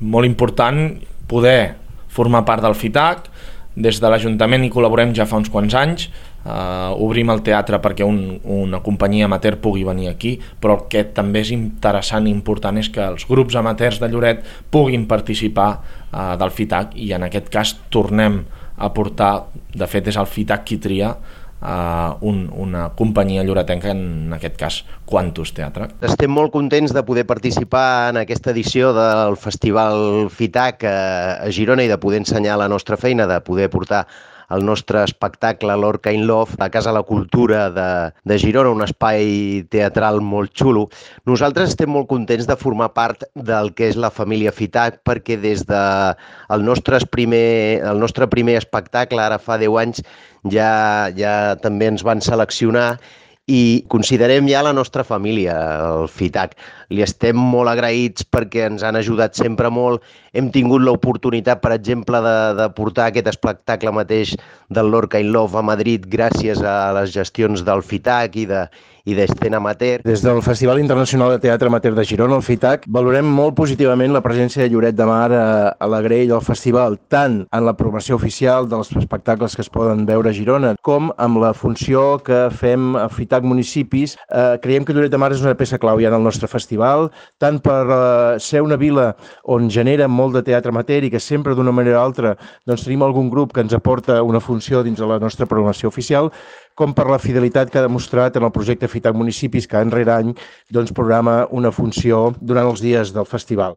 molt important poder formar part del FITAC. Des de l'Ajuntament hi col·laborem ja fa uns quants anys, obrim el teatre perquè una companyia amateur pugui venir aquí, però el que també és interessant i important és que els grups amateurs de Lloret puguin participar del FITAC, i en aquest cas tornem a portar, de fet és el FITAC qui tria una companyia lloretenca, en aquest cas Quantus Teatre. Estem molt contents de poder participar en aquesta edició del Festival FITAC a Girona i de poder ensenyar la nostra feina, de poder portar el nostre espectacle Lorca in Love a Casa la Cultura de Girona, un espai teatral molt xulo. Nosaltres estem molt contents de formar part del que és la família FITAC, perquè des del nostre primer espectacle, ara fa 10 anys, ja també ens van seleccionar i considerem ja la nostra família, el FITAC. Li estem molt agraïts perquè ens han ajudat sempre molt. Hem tingut l'oportunitat, per exemple, de portar aquest espectacle mateix del Lorca in Love a Madrid gràcies a les gestions del FITAC i d'Escena Amateur. Des del Festival Internacional de Teatre Amateur de Girona, el FITAC, valorem molt positivament la presència de Lloret de Mar a la grella del festival, tant en la programació oficial dels espectacles que es poden veure a Girona, com amb la funció que fem a FITAC Municipis. Creiem que Lloret de Mar és una peça clau ja en el nostre festival, tant per ser una vila on genera molt de teatre amateur i que sempre d'una manera o altra tenim algun grup que ens aporta una funció dins de la nostra programació oficial, com per la fidelitat que ha demostrat en el projecte FITAC Municipis, que any rere any programa una funció durant els dies del festival.